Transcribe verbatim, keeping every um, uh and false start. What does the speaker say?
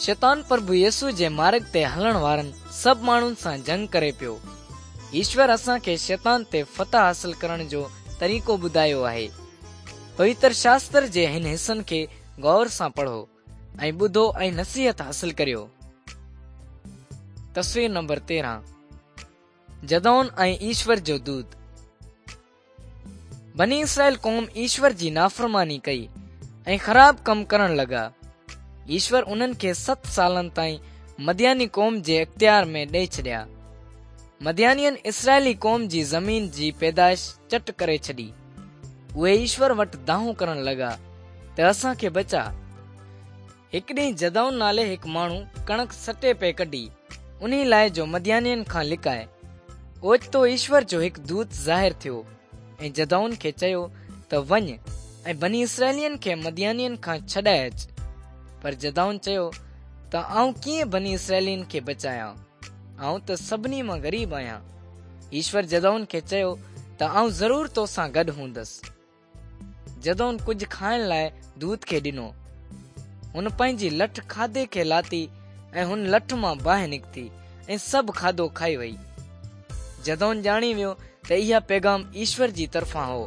शैतान प्रभु यीशु जे मार्ग ते हलण वारनि सभु माण्हुनि सां जंग करे पियो। ईश्वर असांखे शैतान ते फतह हासिल करण जो तरीक़ो ॿुधायो आहे। पवित्र शास्त्र जे हिन हिसनि खे गौर सां पढ़ो ऐं ॿुधो ऐं नसीहत हासिल करियो। तस्वीर नंबर तेरहं, जदौन ऐं ईश्वर जो दूत। बनी इसराइल क़ौम ईश्वर जी नाफ़रमानी कई ऐं ख़राब कम करण लॻा। ईश्वर उन्हनि खे सत सालनि ताईं मदियानी क़ौम जे अख़्तियार में ॾेई छॾिया। मदियानियनि इसराइली क़ौम जी ज़मीन जी पैदाइश चट करे छॾी। उहे ईश्वर वटि दाहूं करण लॻा त असांखे बचा। हिकु ॾींहुं जदौन नाले हिकु माण्हू कणक सटे पे कढी, उन्ही लाइ जो मदियानियनि खां लिकाए। ओचितो ईश्वर जो हिकु दूत ज़ाहिर थियो ऐं जदौन खे चयो त वञ ऐं बनी इसराइलियनि खे मदियानियनि खां छॾाए अच। पर जदौन चयो त आउं कीअं बनी इसराइलियनि खे बचायां? आउं त सभिनी मां ग़रीब आहियां। ईश्वर जदौन खे चयो त आउं ज़रूर तोसां गॾु हूंदसि। जदौन कुझु खाइण लाइ दूत खे ॾिनो। हुन पंहिंजी लठ खाधे खे लाती ऐं हुन लठ मां बाहि निकिती ऐं सभु खाधो खाई वई। जदौन ॼाणी वियो त इहा पैगाम ईश्वर जी तरफ़ां हो।